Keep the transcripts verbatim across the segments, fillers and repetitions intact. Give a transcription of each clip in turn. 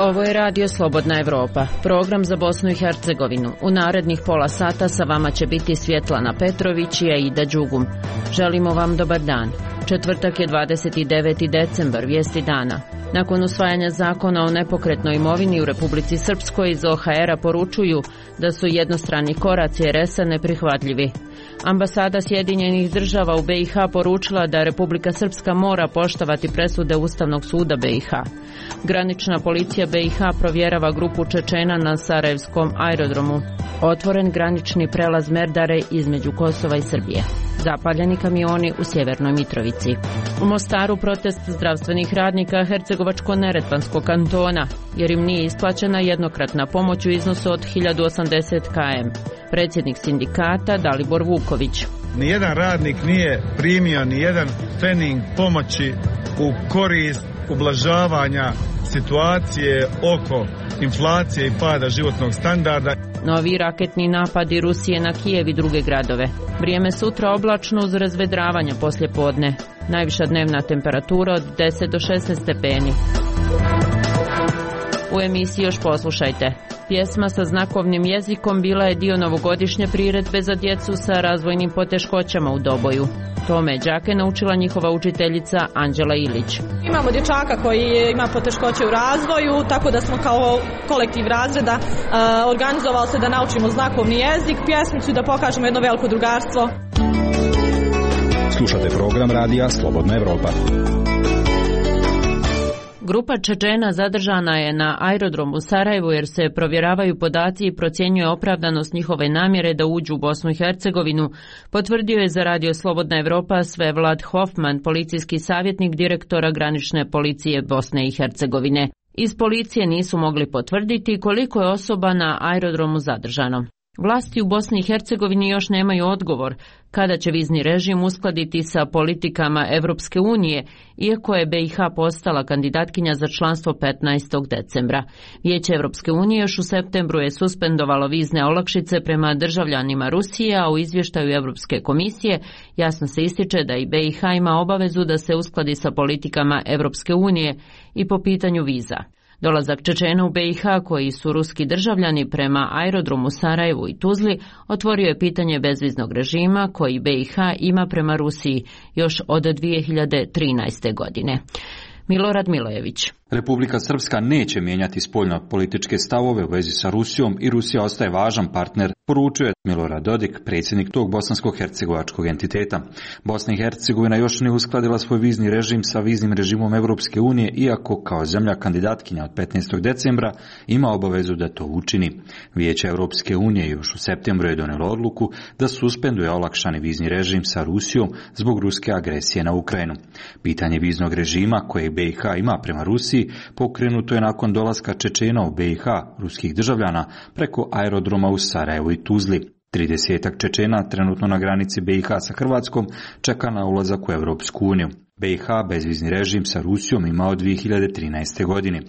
Ovo je Radio Slobodna Evropa, program za Bosnu i Hercegovinu. U narednih pola sata sa vama će biti Svjetlana Petrović i Aida Đugum. Želimo vam dobar dan. Četvrtak je dvadeset deveti decembar, vijesti dana. Nakon usvajanja zakona o nepokretnoj imovini u Republici Srpskoj iz O H R-a poručuju da su jednostrani koraci R S-a neprihvatljivi. Ambasada Sjedinjenih država u B i H poručila da Republika Srpska mora poštovati presude Ustavnog suda B i H. Granična policija B i H provjerava grupu Čečena na Sarajevskom aerodromu. Otvoren granični prelaz Merdare između Kosova i Srbije. Zapaljeni kamioni u Sjevernoj Mitrovici. U Mostaru protest zdravstvenih radnika Hercegovačko-neretvanskog kantona, jer im nije isplaćena jednokratna pomoć u iznosu od hiljadu osamdeset kilometara. Predsjednik sindikata Dalibor Vuković. Nijedan radnik nije primio nijedan trening pomoći u korist ublažavanja situacije oko inflacije i pada životnog standarda. Novi raketni napadi Rusije na Kijev i druge gradove. Vrijeme sutra oblačno uz razvedravanja poslje podne. Najviša dnevna temperatura od deset do šesnaest stepeni. U emisiji još poslušajte. Pjesma sa znakovnim jezikom bila je dio novogodišnje priredbe za djecu sa razvojnim poteškoćama u Doboju. Tome đake naučila njihova učiteljica Anđela Ilić. Imamo dječaka koji ima poteškoće u razvoju, tako da smo kao kolektiv razreda uh, organizovali se da naučimo znakovni jezik, pjesmicu i da pokažemo jedno veliko drugarstvo. Slušate program radija Slobodna Evropa. Grupa Čečena zadržana je na aerodromu u Sarajevu jer se provjeravaju podaci i procjenjuje opravdanost njihove namjere da uđu u Bosnu i Hercegovinu, potvrdio je za Radio Slobodna Evropa Svevlad Hofman, policijski savjetnik direktora granične policije Bosne i Hercegovine. Iz policije nisu mogli potvrditi koliko je osoba na aerodromu zadržano. Vlasti u Bosni i Hercegovini još nemaju odgovor kada će vizni režim uskladiti sa politikama Evropske unije, iako je B i H postala kandidatkinja za članstvo petnaestog decembra. Vijeće Evropske unije još u septembru je suspendovalo vizne olakšice prema državljanima Rusije, a u izvještaju Evropske komisije jasno se ističe da i B i H ima obavezu da se uskladi sa politikama Evropske unije i po pitanju viza. Dolazak Čečena u B i H, koji su ruski državljani, prema aerodromu Sarajevu i Tuzli otvorio je pitanje bezviznog režima koji B i H ima prema Rusiji još od dvije hiljade trinaeste. godine. Milorad Milojević. Republika Srpska neće mijenjati spoljno-političke stavove u vezi sa Rusijom i Rusija ostaje važan partner, poručuje Milorad Dodik, predsjednik tog bosansko-hercegovačkog entiteta. Bosna i Hercegovina još ne uskladila svoj vizni režim sa viznim režimom Evropske unije, iako kao zemlja kandidatkinja od petnaestog decembra ima obavezu da to učini. Vijeće Evropske unije još u septembru je donijelo odluku da suspenduje olakšani vizni režim sa Rusijom zbog ruske agresije na Ukrajinu. Pitanje viznog režima koje B i H ima prema Rusiji pokrenuto je nakon dolaska Čečena u B i H, ruskih državljana, preko aerodroma u Sarajevu i Tuzli. Tridesetak Čečena trenutno na granici B i H sa Hrvatskom čeka na ulazak u Europsku uniju. B i H bezvizni režim sa Rusijom ima od dvije hiljade trinaeste. godine.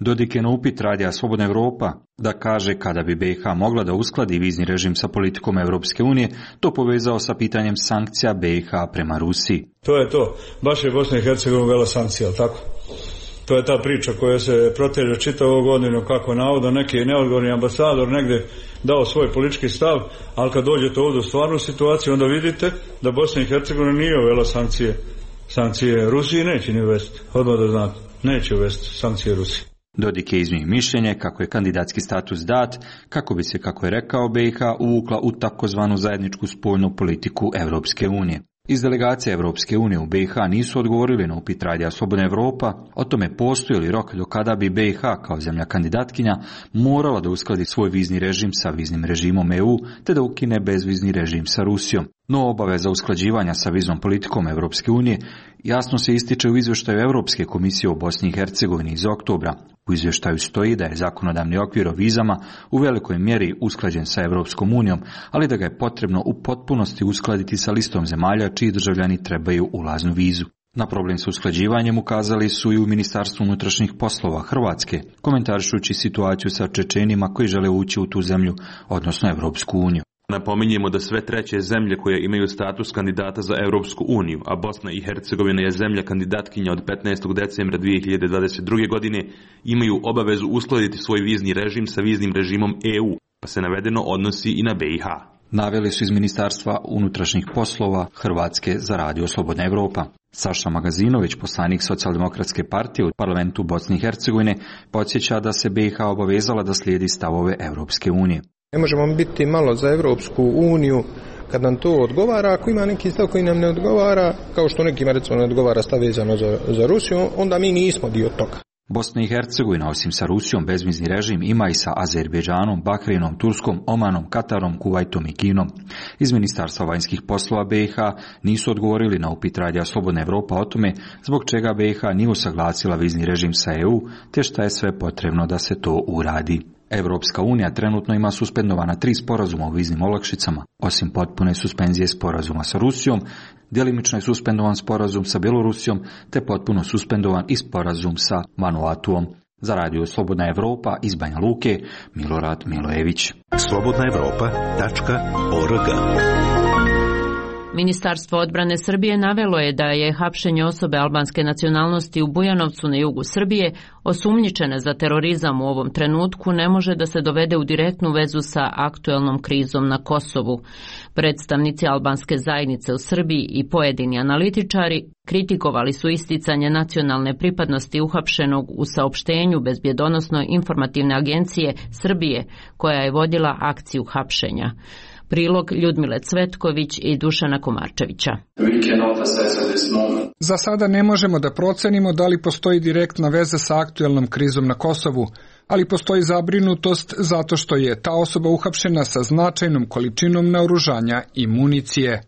Dodik je na upit Radija Slobodna Evropa da kaže kada bi B i H mogla da uskladi vizni režim sa politikom Europske unije, to povezao sa pitanjem sankcija B i H prema Rusiji. To je to. Baš je Bosna i Hercegovina uvela sankcija, ali tako? To je ta priča koja se proteže čitavu godinu, kako navodno neki neodgovorni ambasador negdje dao svoj politički stav, ali kad dođete ovdje u stvarnu situaciju, onda vidite da Bosna i Hercegovina nije uvela sankcije. Sankcije Rusiji neće ni uvesti, odmah da znate, neće uvesti sankcije Rusiji. Dodik je iznio mišljenje kako je kandidatski status dat, kako bi se, kako je rekao, B i H uvukla u takozvanu zajedničku spoljnu politiku Evropske unije. Iz delegacije Evropske unije u B i H nisu odgovorili na upit Radija Slobodna Evropa o tome postoji li rok do kada bi B i H kao zemlja kandidatkinja morala da uskladi svoj vizni režim sa viznim režimom E U te da ukine bezvizni režim sa Rusijom. No obaveza usklađivanja sa viznom politikom Evropske unije jasno se ističe u izvještaju Europske komisije o Bosni i Hercegovini iz oktobra. U izvještaju stoji da je zakonodavni okvir o vizama u velikoj mjeri usklađen sa Evropskom unijom, ali da ga je potrebno u potpunosti uskladiti sa listom zemalja čiji državljani trebaju ulaznu vizu. Na problem s usklađivanjem ukazali su i u Ministarstvu unutrašnjih poslova Hrvatske, komentarišući situaciju sa Čečenima koji žele ući u tu zemlju, odnosno Evropsku uniju. Napominjemo da sve treće zemlje koje imaju status kandidata za Europsku uniju, a Bosna i Hercegovina je zemlja kandidatkinja od petnaestog decembra dvije hiljade dvadeset druge. godine, imaju obavezu uskladiti svoj vizni režim sa viznim režimom E U, pa se navedeno odnosi i na B i H. Naveli su iz Ministarstva unutrašnjih poslova Hrvatske za radio Slobodna Evropa. Saša Magazinović, poslanik Socijaldemokratske partije u parlamentu Bosne i Hercegovine, podsjeća da se B i H obavezala da slijedi stavove Europske unije. Ne možemo biti malo za Europsku uniju kad nam to odgovara. Ako ima neki stav koji nam ne odgovara, kao što nekima recimo ne odgovara stav vezano za, za Rusiju, onda mi nismo dio toga. Bosna i Hercegovina, osim sa Rusijom, bezvizni režim ima i sa Azerbejdžanom, Bahreinom, Turskom, Omanom, Katarom, Kuvajtom i Kinom. Iz Ministarstva vanjskih poslova B i H nisu odgovorili na upit radija Slobodna Evropa o tome zbog čega B i H nije usaglasila vizni režim sa E U, te šta je sve potrebno da se to uradi. Evropska unija trenutno ima suspendovana tri sporazuma o viznim olakšicama. Osim potpune suspenzije sporazuma sa Rusijom, djelimično je suspendovan sporazum sa Bjelorusijom, te potpuno suspendovan i sporazum sa Vanuatuom. Za radio Slobodna Evropa iz Banja Luke, Milorad Milojević. slobodna evropa tačka org. Ministarstvo odbrane Srbije navelo je da je hapšenje osobe albanske nacionalnosti u Bujanovcu na jugu Srbije, osumnjičene za terorizam u ovom trenutku, ne može da se dovede u direktnu vezu sa aktuelnom krizom na Kosovu. Predstavnici albanske zajednice u Srbiji i pojedini analitičari kritikovali su isticanje nacionalne pripadnosti uhapšenog u saopštenju Bezbjedonosno informativne agencije Srbije, koja je vodila akciju hapšenja. Prilog Ljudmile Cvetković i Dušana Komarčevića. Za sada ne možemo da procenimo da li postoji direktna veza sa aktuelnom krizom na Kosovu, ali postoji zabrinutost zato što je ta osoba uhapšena sa značajnom količinom naoružanja i municije.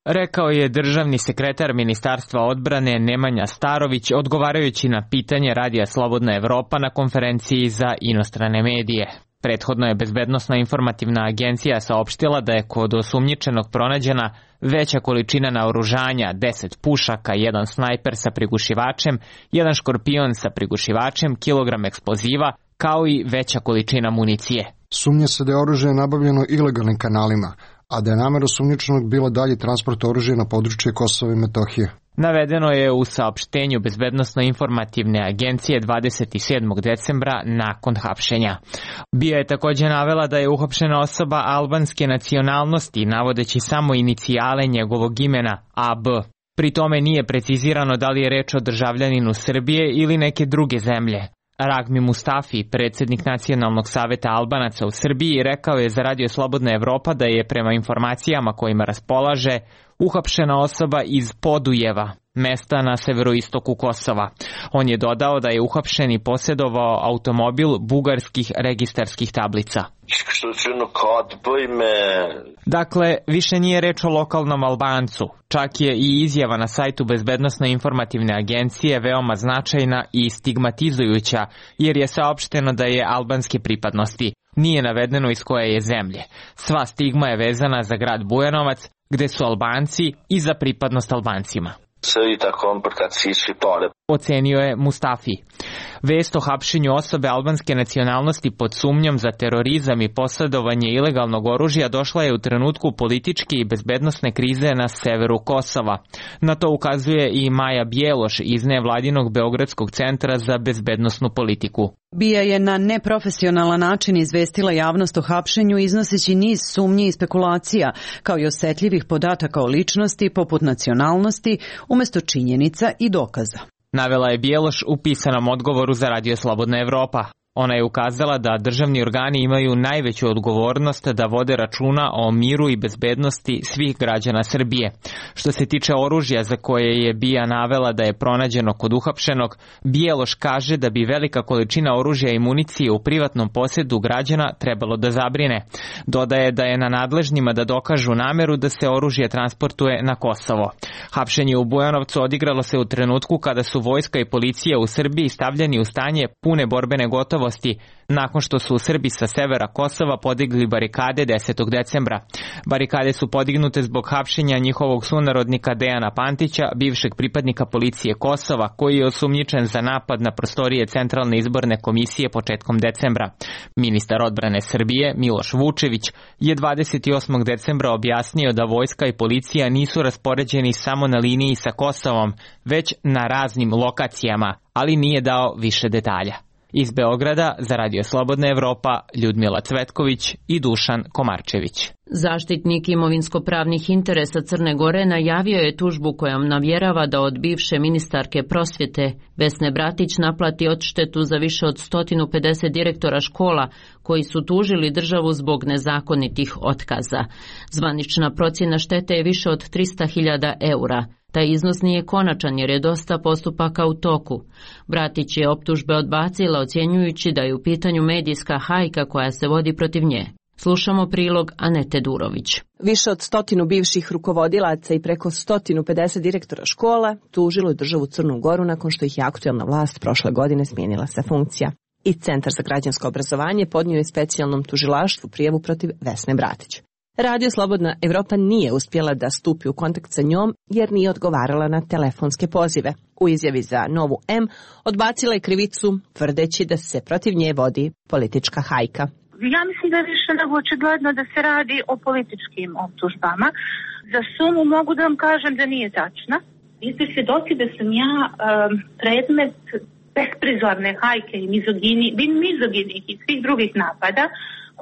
Rekao je državni sekretar Ministarstva odbrane Nemanja Starović odgovarajući na pitanje radija Slobodna Evropa na konferenciji za inostrane medije. Prethodno je Bezbednosna informativna agencija saopštila da je kod osumnjičenog pronađena veća količina naoružanja, deset pušaka, jedan snajper sa prigušivačem, jedan škorpion sa prigušivačem, kilogram eksploziva, kao i veća količina municije. Sumnja se da je oružje nabavljeno ilegalnim kanalima, a da je namera osumnjičenog bila dalji transport oružja na područje Kosova i Metohije. Navedeno je u saopštenju Bezbednosno-informativne agencije dvadeset sedmog decembra nakon hapšenja. B I A je također navela da je uhapšena osoba albanske nacionalnosti, navodeći samo inicijale njegovog imena A B. Pri tome nije precizirano da li je reč o državljaninu Srbije ili neke druge zemlje. Ragmi Mustafi, predsjednik Nacionalnog saveta Albanaca u Srbiji, rekao je za radio Slobodna Evropa da je prema informacijama kojima raspolaže uhapšena osoba iz Podujeva, mesta na severoistoku Kosova. On je dodao da je uhapšen i posjedovao automobil bugarskih registarskih tablica. Dakle, više nije reč o lokalnom Albancu. Čak je i izjava na sajtu Bezbednosno-informativne agencije veoma značajna i stigmatizujuća, jer je saopšteno da je albanske pripadnosti. Nije navedeno iz koje je zemlje. Sva stigma je vezana za grad Bujanovac, gde su Albanci i za pripadnost Albancima. Ocenio je Mustafi. Vest o hapšenju osobe albanske nacionalnosti pod sumnjom za terorizam i posjedovanje ilegalnog oružja došla je u trenutku političke i bezbednosne krize na severu Kosova. Na to ukazuje i Maja Bjeloš iz nevladinog Beogradskog centra za bezbednosnu politiku. B I A je na neprofesionalan način izvestila javnost o hapšenju iznoseći niz sumnji i spekulacija, kao i osetljivih podataka o ličnosti poput nacionalnosti, umjesto činjenica i dokaza. Navela je Bjeloš u pisanom odgovoru za radio Slobodna Evropa. Ona je ukazala da državni organi imaju najveću odgovornost da vode računa o miru i bezbednosti svih građana Srbije. Što se tiče oružja za koje je B I A navela da je pronađeno kod uhapšenog, Bjeloš kaže da bi velika količina oružja i municije u privatnom posjedu građana trebalo da zabrine. Dodaje da je na nadležnima da dokažu nameru da se oružje transportuje na Kosovo. Hapšenje u Bujanovcu odigralo se u trenutku kada su vojska i policija u Srbiji stavljeni u stanje pune borbene gotovosti gotovosti nakon što su Srbi sa severa Kosova podigli barikade desetog decembra. Barikade su podignute zbog hapšenja njihovog sunarodnika Dejana Pantića, bivšeg pripadnika policije Kosova, koji je osumnjičen za napad na prostorije Centralne izborne komisije početkom decembra. Ministar odbrane Srbije Miloš Vučević je dvadeset osmog decembra objasnio da vojska i policija nisu raspoređeni samo na liniji sa Kosovom, već na raznim lokacijama, ali nije dao više detalja. Iz Beograda za Radio Slobodna Evropa Ljudmila Cvetković i Dušan Komarčević. Zaštitnik imovinsko-pravnih interesa Crne Gore najavio je tužbu kojom navjerava da od bivše ministarke prosvjete Vesne Bratić naplati odštetu za više od sto pedeset direktora škola koji su tužili državu zbog nezakonitih otkaza. Zvanična procjena štete je više od trista hiljada eura. Taj iznos nije konačan jer je dosta postupaka u toku. Bratić je optužbe odbacila ocjenjujući da je u pitanju medijska hajka koja se vodi protiv nje. Slušamo prilog Anete Durović. Više od stotinu bivših rukovodilaca i preko sto pedeset direktora škola tužilo je državu Crnu Goru nakon što ih je aktuelna vlast prošle godine smijenila sa funkcija. I Centar za građansko obrazovanje podnio je specijalnom tužilaštvu prijavu protiv Vesne Bratić. Radio Slobodna Evropa nije uspjela da stupi u kontakt sa njom jer nije odgovarala na telefonske pozive. U izjavi za Novu M odbacila je krivicu tvrdeći da se protiv nje vodi politička hajka. Ja mislim da je više nego očigledno da se radi o političkim optužbama. Za sumu mogu da vam kažem da nije tačna. Vi ste svjedoci da sam ja um, predmet besprizorne hajke i mizogini, mizoginih i svih drugih napada,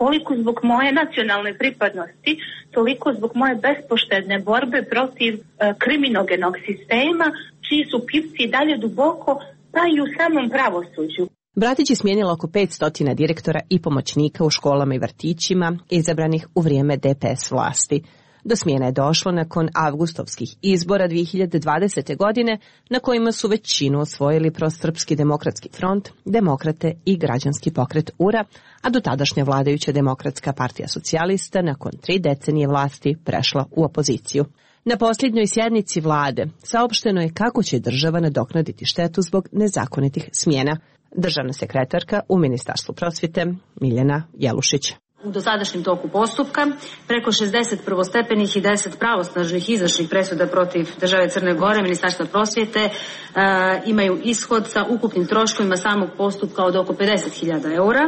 koliko zbog moje nacionalne pripadnosti, toliko zbog moje bespoštedne borbe protiv uh, kriminogenog sistema, čiji su pipci dalje duboko, pa i u samom pravosuđu. Bratić je smijenila oko petsto direktora i pomoćnika u školama i vrtićima izabranih u vrijeme D P S vlasti. Do smjene je došlo nakon avgustovskih izbora dvije hiljade dvadesete. godine na kojima su većinu osvojili Prosrpski demokratski front, Demokrate i Građanski pokret U R A, a do tadašnja vladajuća Demokratska partija socijalista nakon tri decenije vlasti prešla u opoziciju. Na posljednjoj sjednici vlade saopšteno je kako će država nadoknaditi štetu zbog nezakonitih smjena. Državna sekretarka u Ministarstvu prosvjete Miljana Jelušić. U dosadašnjem toku postupka preko šezdeset prvostepenih i deset pravosnažnih izvršnih presuda protiv države Crne Gore, Ministarstva prosvjete e, imaju ishod sa ukupnim troškovima samog postupka od oko pedeset hiljada eura.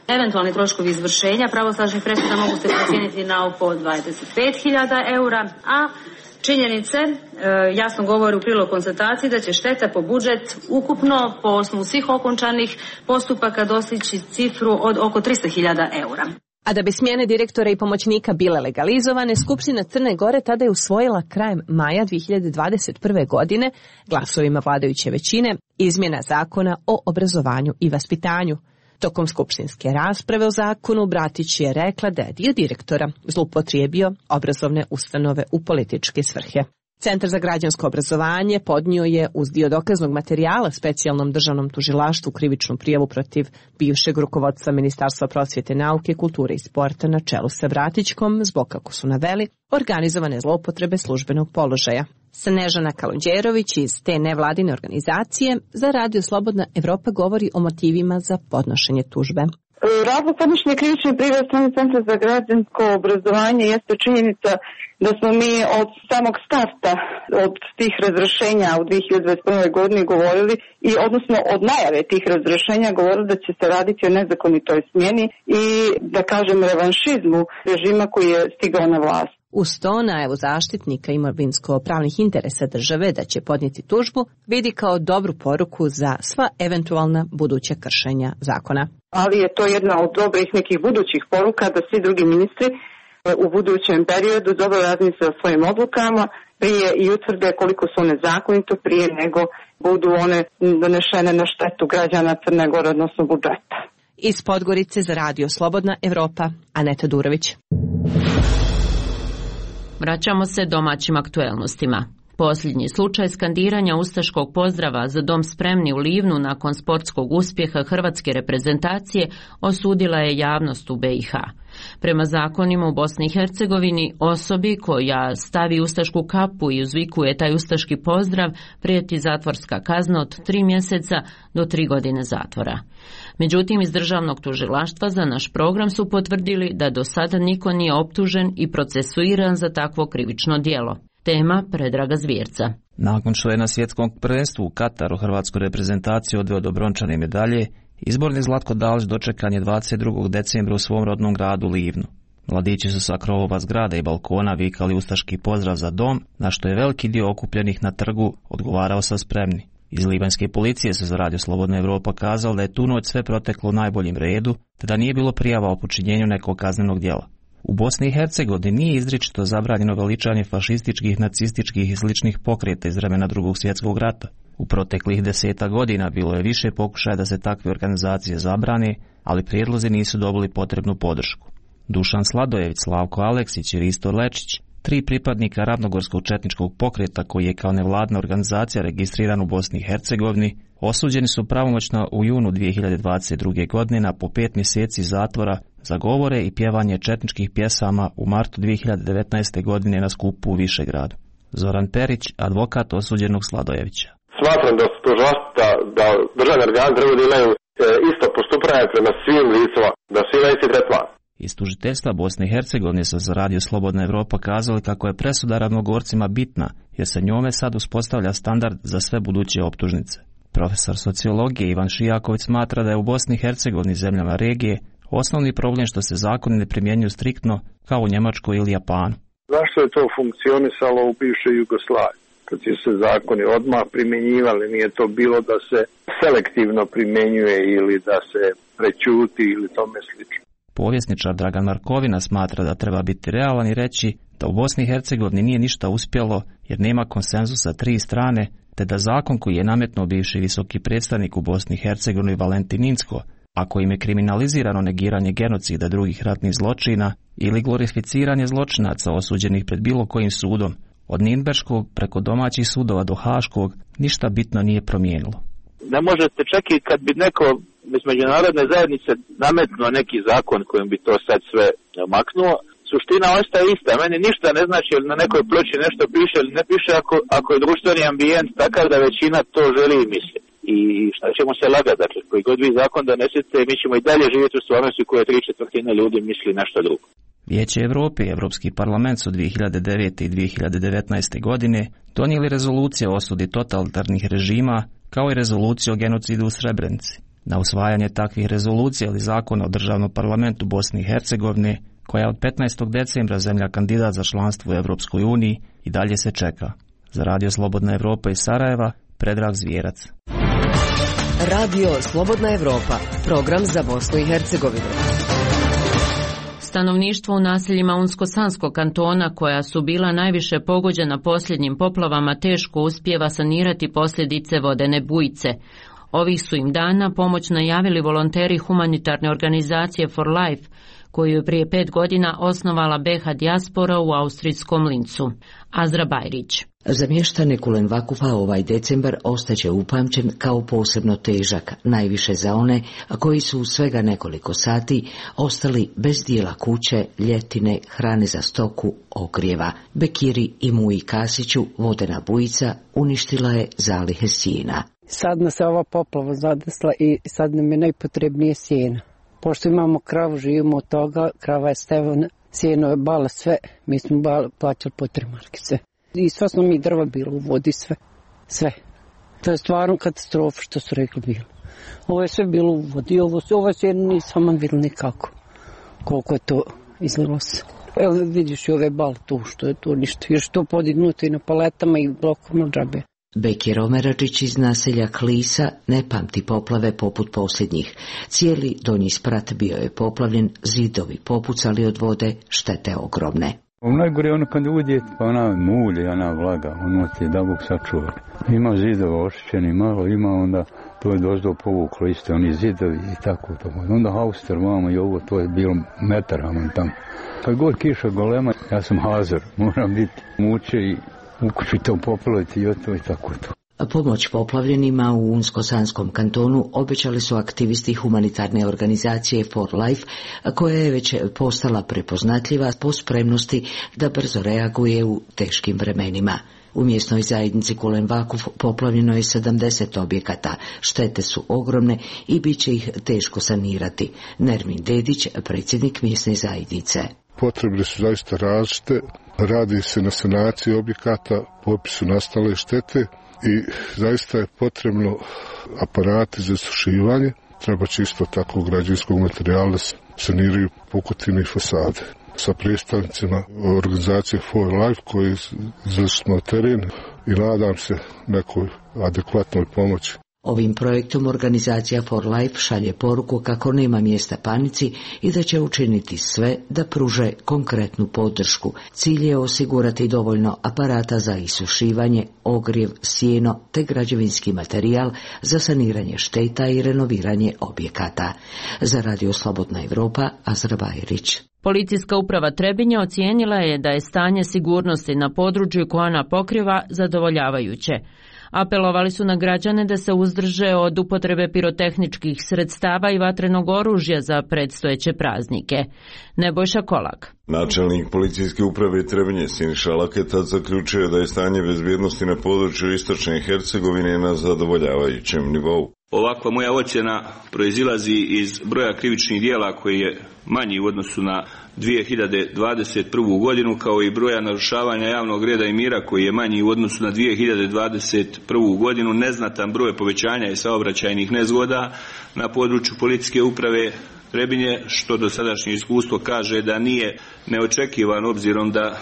Eventualni troškovi izvršenja pravosnažnih presuda mogu se procijeniti na oko dvadeset pet hiljada eura, a činjenice e, jasno govore u prilog konstataciji da će šteta po budžet ukupno po osnovu svih okončanih postupaka dostići cifru od oko trista hiljada eura. A da bi smjene direktora i pomoćnika bile legalizovane, Skupština Crne Gore tada je usvojila krajem maja dvije hiljade dvadeset prve. godine glasovima vladajuće većine izmjena zakona o obrazovanju i vaspitanju. Tokom skupštinske rasprave o zakonu Bratić je rekla da je dio direktora zloupotrijebio obrazovne ustanove u političke svrhe. Centar za građansko obrazovanje podnio je uz dio dokaznog materijala specijalnom državnom tužilaštvu krivičnu prijavu protiv bivšeg rukovodstva Ministarstva prosvjete, nauke, kulture i sporta na čelu sa Bratićkom zbog, kako su naveli, organizovane zloupotrebe službenog položaja. Snežana Kalundjerović iz te nevladine organizacije za Radio Slobodna Evropa govori o motivima za podnošenje tužbe. Razlog podnošenja krivične prijave strane Centra za građansko obrazovanje jeste činjenica da smo mi od samog starta od tih razrješenja u dvije hiljade dvadeset prve. godini govorili i odnosno od najave tih razrješenja govorili da će se raditi o nezakonitoj smjeni i da kažem revanšizmu režima koji je stigao na vlast. Uz to najavu zaštitnika imovinsko-pravnih interesa države da će podnijeti tužbu vidi kao dobru poruku za sva eventualna buduća kršenja zakona. Ali je to jedna od dobrih nekih budućih poruka da svi drugi ministri u budućem periodu dobro razmisle o svojim odlukama prije i utvrde koliko su one zakonito prije nego budu one donešene na štetu građana Crne Gore, odnosno budžeta. Iz Podgorice za Radio Slobodna Evropa, Aneta Durović. Vraćamo se domaćim aktuelnostima. Posljednji slučaj skandiranja ustaškog pozdrava za dom spremni u Livnu nakon sportskog uspjeha hrvatske reprezentacije osudila je javnost u B i H. Prema zakonima u Bosni i Hercegovini, osobi koja stavi ustašku kapu i uzvikuje taj ustaški pozdrav prijeti zatvorska kazna od tri mjeseca do tri godine zatvora. Međutim, iz državnog tužilaštva za naš program su potvrdili da do sada niko nije optužen i procesuiran za takvo krivično djelo. Tema Predraga Zvjerca. Nakon što je na svjetskom prvenstvu u Kataru hrvatsku reprezentaciju odveo do brončane medalje, izborni Zlatko Dalić dočekan je dvadeset drugog decembra u svom rodnom gradu Livnu. Mladići su sa krovova zgrada i balkona vikali ustaški pozdrav za dom, na što je veliki dio okupljenih na trgu odgovarao sa spremni. Iz libanjske policije su za Radio Slobodna Evropa kazali da je tu noć sve proteklo u najboljem redu, te da nije bilo prijava o počinjenju nekog kaznenog djela. U Bosni i Hercegovini nije izričito zabranjeno veličanje fašističkih, nacističkih i sličnih pokreta iz vremena Drugog svjetskog rata. U proteklih deseta godina bilo je više pokušaja da se takve organizacije zabrane, ali prijedlozi nisu dobili potrebnu podršku. Dušan Sladojević, Slavko Aleksić i Risto Lečić, tri pripadnika ravnogorskog četničkog pokreta koji je kao nevladna organizacija registriran u Bosni i Hercegovini, osuđeni su pravomoćno u junu dvije hiljade dvadeset druge. godine na po pet mjeseci zatvora za govore i pjevanje četničkih pjesama u martu dvije hiljade devetnaeste. godine na skupu u Višegradu. Zoran Perić, advokat osuđenog Sladojevića. Smatram da su to žasta, da državni organi trebaju da imaju isto postupanje prema svim licima, da svi na isti tretman. Iz tužiteljstva Bosne i Hercegovine su za Radio Slobodna Evropa kazali kako je presuda ravnogorcima bitna, jer se njome sad uspostavlja standard za sve buduće optužnice. Profesor sociologije Ivan Šijaković smatra da je u Bosni i Hercegovini zemljama regije osnovni problem što se zakoni ne primjenjuju striktno kao u Njemačkoj ili Japanu. Zašto je to funkcionisalo u bivšoj Jugoslaviji? Kad su se zakoni odmah primjenjivali, nije to bilo da se selektivno primjenjuje ili da se prećuti ili tome slično. Povjesničar Dragan Markovina smatra da treba biti realan i reći da u Bosni i Hercegovini nije ništa uspjelo jer nema konsenzusa tri strane, te da zakon koji je nametnuo bivši visoki predstavnik u Bosni i Hercegovini Valentin Inzko, a kojim je kriminalizirano negiranje genocida drugih ratnih zločina ili glorificiranje zločinaca osuđenih pred bilo kojim sudom, od Nirnberškog preko domaćih sudova do Haškog, ništa bitno nije promijenilo. Ne možete čak i kad bi neko iz međunarodne zajednice nametnuo neki zakon kojim bi to sad sve maknuo, suština ostaje ista. Meni ništa ne znači ili na nekoj ploči nešto piše ili ne piše ako, ako je društveni ambijent takav da većina to želi i misli. I šta ćemo se lagati, dakle, koji god vi zakon donesete, mi ćemo i dalje živjeti u stvarnosti koje tri četvrtine ljudi misli nešto drugo. Vijeće Evrope i Europski parlament su dvije hiljade devete. i dvije hiljade devetnaeste. godine donijeli rezolucije o osudi totalitarnih režima kao i rezoluciju o genocidu u Srebrenici. Na usvajanje takvih rezolucija ili zakona o državnom parlamentu Bosne i Hercegovine, koja je od petnaestog decembra zemlja kandidat za članstvo u Europskoj uniji, i dalje se čeka. Za Radio Slobodna Evropa iz Sarajeva, Predrag Zvjerac. Radio Slobodna Evropa, program za Bosnu i Hercegovinu. Stanovništvo u naseljima Unsko-Sanskog kantona, koja su bila najviše pogođena posljednjim poplavama, teško uspijeva sanirati posljedice vodene bujice. Ovih su im dana pomoć najavili volonteri humanitarne organizacije For Life, koju je prije pet godina osnovala B H dijaspora u austrijskom Lincu. Azra Bajrić. Za mještane Kulenvakufa ovaj decembar ostaće upamćen kao posebno težak, najviše za one koji su u svega nekoliko sati ostali bez dijela kuće, ljetine, hrane za stoku, ogrijeva. Bekiri i Muji Kasiću vodena bujica uništila je zalihe sjena. Sad nas je ova poplava zadesla i sad nam je najpotrebnije sjena. Pošto imamo kravu, živimo od toga, krava je stevana, sjeno je bala sve, mi smo bala, plaćali po tri markice. I sva smo mi drva bilo u vodi, sve, sve. To je stvarno katastrofa što su rekli bilo. Ovo je sve bilo u vodi, ovo, ovo sjeno nisam vidjeli nikako, koliko je to izlilo se. Evo vidiš i ove bale tu, što je to ništa, još to podignuto i na paletama i blokom džabe. Bekir Omeračić iz naselja Klisa ne pamti poplave poput posljednjih. Cijeli donji sprat bio je poplavljen, zidovi popucali od vode, štete ogromne. Najgore je ono kad uđe, pa ona mulje, ona vlaga, ono ti da Bog sačuva. Ima zidova ošćeni malo, ima onda, to je dozdo povuklo isto, oni zidovi i tako to. Onda hauster, mama i ovo, to je bilo metar, aman tamo. Kad god kiša golema, ja sam hazor, moram biti muče i u kući to poplaviti i to i tako to. Pomoć poplavljenima u Unsko-Sanskom kantonu obećali su aktivisti humanitarne organizacije For Life, koja je već postala prepoznatljiva po spremnosti da brzo reaguje u teškim vremenima. U mjesnoj zajednici Kulen Vakuf poplavljeno je sedamdeset objekata, štete su ogromne i bit će ih teško sanirati. Nermin Dedić, predsjednik mjesne zajednice. Potrebe su zaista različite, radi se na sanaciji objekata, popisu nastale štete i zaista je potrebno aparati za sušivanje, treba će isto tako građevinskog materijala da se saniraju pukotine i fasade. Sa predstavnicima organizacije For Life koji izvršili smo teren i nadam se nekoj adekvatnoj pomoći. Ovim projektom organizacija For Life šalje poruku kako nema mjesta panici i da će učiniti sve da pruže konkretnu podršku. Cilj je osigurati dovoljno aparata za isušivanje, ogrjev, sjeno te građevinski materijal za saniranje šteta i renoviranje objekata. Za Radio Slobodna Evropa, Azra Bajrić. Policijska uprava Trebinje ocijenila je da je stanje sigurnosti na području koje ona pokriva zadovoljavajuće. Apelovali su na građane da se uzdrže od upotrebe pirotehničkih sredstava i vatrenog oružja za predstojeće praznike. Nebojša Kolak. Načelnik policijske uprave Trebinje Siniša Laketa zaključuje da je stanje bezbjednosti na području istočne Hercegovine na zadovoljavajućem nivou. Ovakva moja ocjena proizilazi iz broja krivičnih djela koji je manji u odnosu na dvije hiljade dvadeset prvu. godinu, kao i broja narušavanja javnog reda i mira koji je manji u odnosu na dvije hiljade dvadeset prvu. godinu. Neznatan broj povećanja i saobraćajnih nezgoda na području policijske uprave Trebinje, što do sadašnje iskustvo kaže da nije neočekivan, obzirom da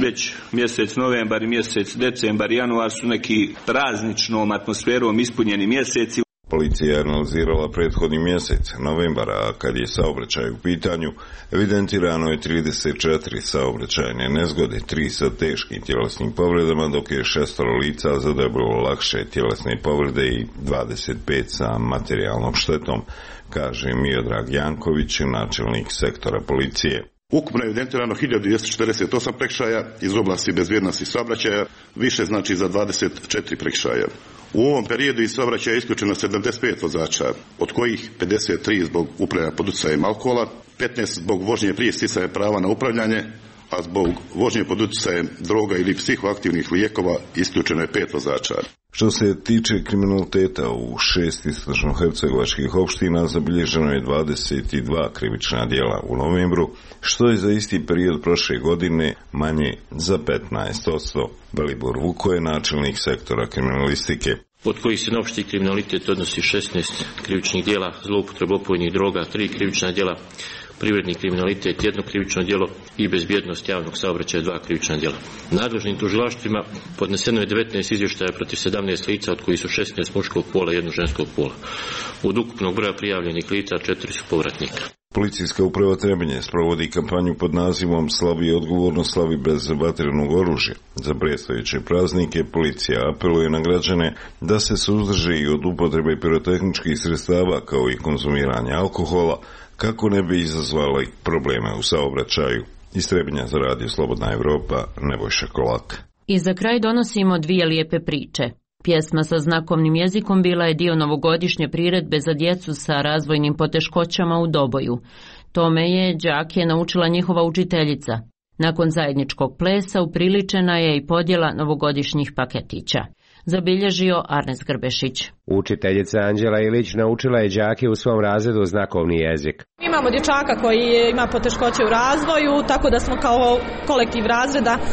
već mjesec novembar i mjesec decembar i januar su neki prazničnom atmosferom ispunjeni mjeseci. Policija je analizirala prethodni mjesec, novembara, a kad je saobraćaj u pitanju, evidentirano je trideset četiri saobraćajne nezgode, tri sa teškim tjelesnim povredama, dok je šestoro lica zadobilo lakše tjelesne povrede i dvadeset pet sa materijalnom štetom, kaže Miodrag Janković, načelnik sektora policije. Ukupno je evidentirano hiljadu dvjesto četrdeset osam prekršaja iz oblasti bezbjednosti saobraćaja, više znači za dvadeset četiri prekršaja. U ovom periodu iz saobraćaja je isključeno sedamdeset pet vozača, od kojih pedeset tri zbog upravljanja pod utjecajem alkohola, petnaest zbog vožnje prije sticanja prava na upravljanje, a zbog vožnje pod utjecajem droga ili psihoaktivnih lijekova isključeno je pet vozača. Što se tiče kriminaliteta, u šest istočno-hercegovačkih opština zabilježeno je dvadeset dva krivična djela u novembru, što je za isti period prošle godine manje za petnaest posto. Velibor Vuko je načelnik sektora kriminalistike. Od kojih se na opšti kriminalitet odnosi šesnaest krivičnih djela, zloupotreba opojnih droga, tri krivična djela, privredni kriminalitet, jedno krivično djelo i bezbjednost javnog saobraćaja, dva krivična djela. Nadležnim tužilaštvima podneseno je devetnaest izvještaja protiv sedamnaest lica, od kojih su šesnaest muškog pola i jedno ženskog pola. Od ukupnog broja prijavljenih lica četiri su povratnika. Policijska uprava Trebinje sprovodi kampanju pod nazivom Slavi i odgovorno slavi bez vatrenog oružja. Za predstojeće praznike policija apeluje na građane da se suzdrže i od upotrebe pirotehničkih sredstava kao i konzumiranja alkohola, kako ne bi izazvali probleme u saobraćaju. Iz Trebinja za Radio Slobodna Evropa, Nebojša Kolak. I za kraj donosimo dvije lijepe priče. Pjesma sa znakovnim jezikom bila je dio novogodišnje priredbe za djecu sa razvojnim poteškoćama u Doboju. Tome je đake naučila njihova učiteljica. Nakon zajedničkog plesa upriličena je i podjela novogodišnjih paketića. Zabilježio Arnes Grbešić. Učiteljica Anđela Ilić naučila je đake u svom razredu znakovni jezik. Imamo dječaka koji ima poteškoće u razvoju, tako da smo kao kolektiv razreda uh,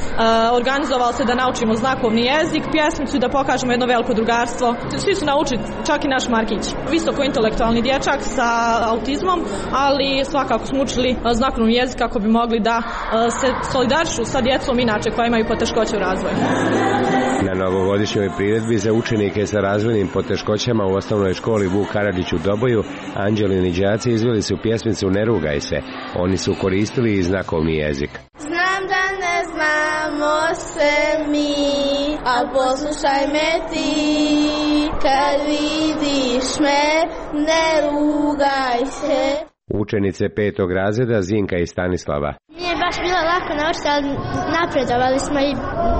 organizovali se da naučimo znakovni jezik, pjesmicu i da pokažemo jedno veliko drugarstvo. Svi su naučili, čak i naš Markić. Visoko intelektualni dječak sa autizmom, ali svakako smo učili uh, znakovni jezik kako bi mogli da uh, se solidarišu sa djecom inače koja imaju poteškoće u razvoju. Na novogodišnjoj priredbi za učenike sa razvojnim poteškoćama u osnovnoj školi Vuk Karadžić u Doboju, Anđelini đaci izveli su pjesmicu Ne rugaj se. Oni su koristili i znakovni jezik. Znam da ne znamo se mi, al poslušaj me ti, kad vidiš me, ne rugaj se. Učenice petog razreda Zinka i Stanislava. Nije baš bilo lako naučiti, ali napredovali smo i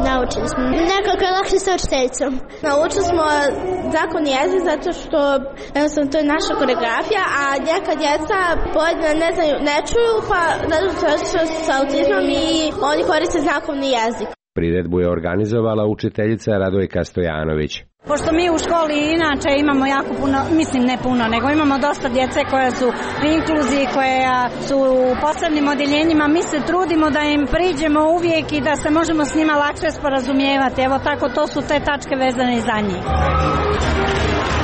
naučili smo. Nekako je lakše sa učiteljicom. Naučili smo znakovni jezik zato što jednostavno to je naša koreografija, a neka djeca pojedina ne znaju, ne čuju, pa zato što su sa autizmom i oni koriste znakovni jezik. Priredbu je organizovala učiteljica Radojka Stojanović. Pošto mi u školi inače imamo jako puno, mislim ne puno, nego imamo dosta djece koje su u inkluziji, koje su u posebnim odjeljenjima, mi se trudimo da im priđemo uvijek i da se možemo s njima lakše sporazumijevati. Evo tako, to su te tačke vezane za njih.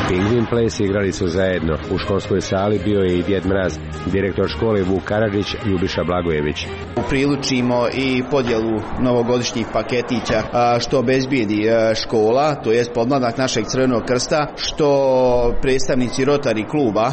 Pingvin ples igrali su zajedno. U školskoj sali bio je i Djed Mraz, direktor škole Vuk Karadžić, Ljubiša Blagojević. Prilučimo i podjelu novogodišnjih paketića što obezbijedi škola, to jest podmladak našeg Crvenog krsta, što predstavnici Rotary kluba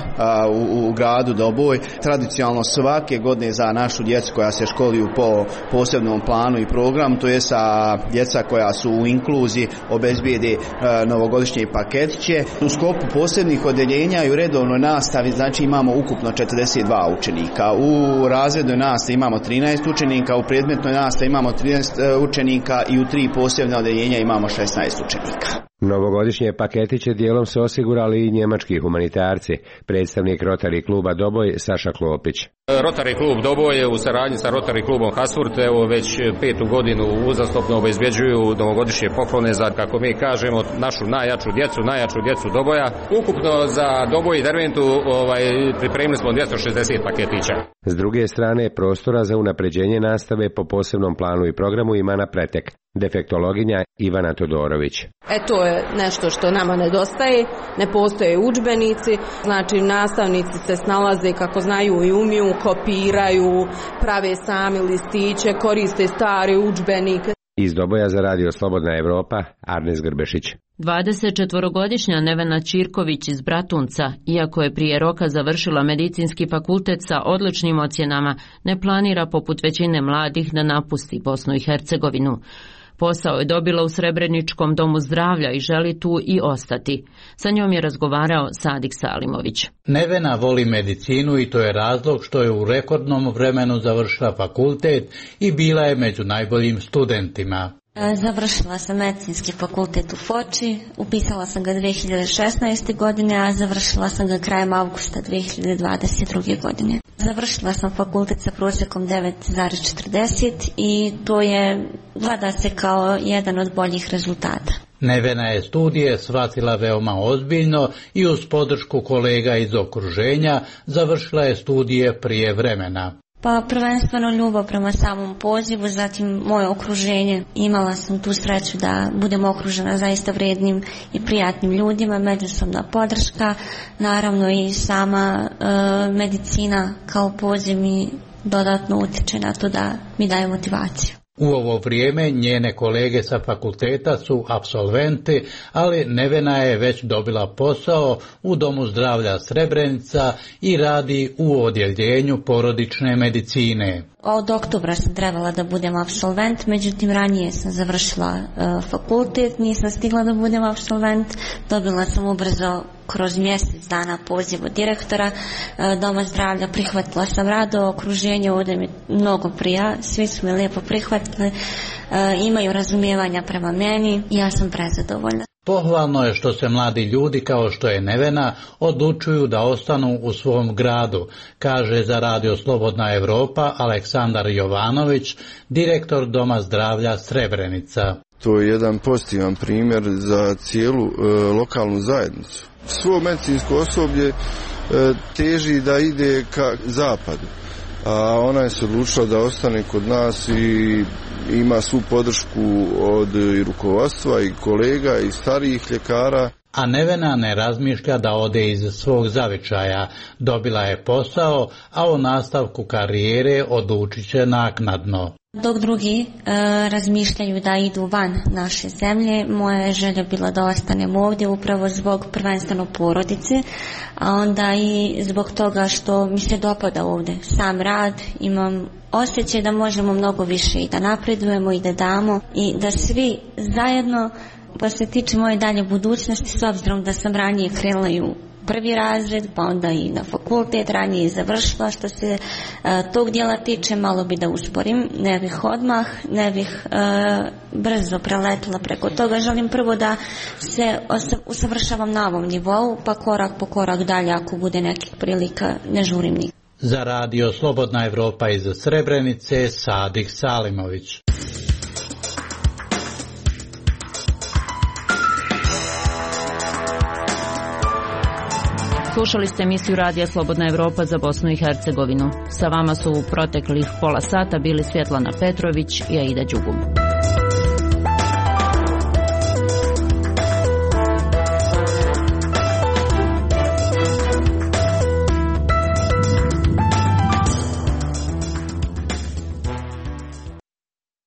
u, u gradu Doboj tradicionalno svake godine za našu djecu koja se školuju po posebnom planu i programu, to je sa djeca koja su u inkluziji obezbijedi novogodišnje paketiće. U sklopu posebnih odeljenja i u redovnoj nastavi znači imamo ukupno četrdeset dva učenika. U razrednoj nastavi imamo trinaest učenika, u predmetnoj nastavi imamo trinaest učenika i u tri posebne odeljenja imamo šesnaest učenika. Novogodišnje paketiće dijelom su osigurali i njemački humanitarci, predstavnik Rotary kluba Doboj Saša Klopić. Rotary klub Doboj je u saradnji sa Rotary klubom Hasfurt evo već petu godinu uzastopno obezbjeđuju novogodišnje poklone za, kako mi kažemo, našu najjaču djecu, najjaču djecu Doboja. Ukupno za Doboj i Derventu ovaj, pripremili smo dvjesto šezdeset paketića. S druge strane, prostora za unapređenje nastave po posebnom planu i programu ima na pretek. Defektologinja Ivana Todorović. E to je nešto što nama nedostaje, ne postoje udžbenici, znači nastavnici se snalaze kako znaju i umiju, kopiraju, prave sami listiće, koriste stare udžbenike. Iz Doboja za radio Slobodna Evropa, Arnes Grbešić. dvadesetčetvorogodišnja Nevena Ćirković iz Bratunca, iako je prije roka završila medicinski fakultet sa odličnim ocjenama, ne planira poput većine mladih da napusti Bosnu i Hercegovinu. Posao je dobila u Srebreničkom domu zdravlja i želi tu i ostati. Sa njom je razgovarao Sadik Salimović. Nevena voli medicinu i to je razlog što je u rekordnom vremenu završila fakultet i bila je među najboljim studentima. Završila sam medicinski fakultet u Foči, upisala sam ga dvije hiljade šesnaeste. godine, a završila sam ga krajem avgusta dvije hiljade dvadeset druge. godine. Završila sam fakultet sa prosjekom devet zarez četrdeset i to je, gleda se kao jedan od boljih rezultata. Nevena je studije shvatila veoma ozbiljno i uz podršku kolega iz okruženja završila je studije prije vremena. Pa prvenstveno ljubav prema samom pozivu, zatim moje okruženje. Imala sam tu sreću da budem okružena zaista vrijednim i prijatnim ljudima, međusobna podrška, naravno i sama e, medicina kao poziv mi dodatno utječe na to da mi daje motivaciju. U ovo vrijeme njene kolege sa fakulteta su apsolventi, ali Nevena je već dobila posao u Domu zdravlja Srebrenica i radi u odjeljenju porodične medicine. Od oktobra sam trebala da budem apsolvent, međutim ranije sam završila uh, fakultet, nisam stigla da budem apsolvent, dobila sam ubrzo kroz mjesec dana poziv od direktora uh, Doma zdravlja, prihvatila sam rado, okruženje ovdje mi mnogo prija, svi su me lijepo prihvatili, uh, imaju razumijevanja prema meni i ja sam prezadovoljna. Pohvalno je što se mladi ljudi kao što je Nevena odlučuju da ostanu u svom gradu, kaže za radio Slobodna Evropa Aleksandar Jovanović, direktor Doma zdravlja Srebrenica. To je jedan pozitivan primjer za cijelu e, lokalnu zajednicu. Svo medicinsko osoblje e, teži da ide ka zapadu, a ona je se odlučila da ostane kod nas i ima svu podršku od i rukovodstva i kolega i starijih ljekara. A Nevena ne razmišlja da ode iz svog zavičaja. Dobila je posao, a o nastavku karijere odlučit će naknadno. Dok drugi e, razmišljaju da idu van naše zemlje, moja je želja bila da ostanem ovdje upravo zbog prvenstveno porodice, a onda i zbog toga što mi se dopada ovdje sam rad, imam osjećaj da možemo mnogo više i da napredujemo i da damo i da svi zajedno, pa se tiče moje dalje budućnosti, s obzirom da sam ranije krenula i u prvi razred, pa onda i na fakultet, ranije završila. Što se uh, tog dijela tiče, malo bi da usporim, ne bih odmah, ne bih uh, brzo preletila preko toga. Želim prvo da se usavršavam na ovom nivou, pa korak po korak dalje, ako bude nekih prilika, ne žurim nikad. Za radio Slobodna Evropa iz Srebrenice, Sadih Salimović. Slušali ste emisiju Radija Slobodna Evropa za Bosnu i Hercegovinu. Sa vama su u proteklih pola sata bili Svjetlana Petrović i Aida Đugum.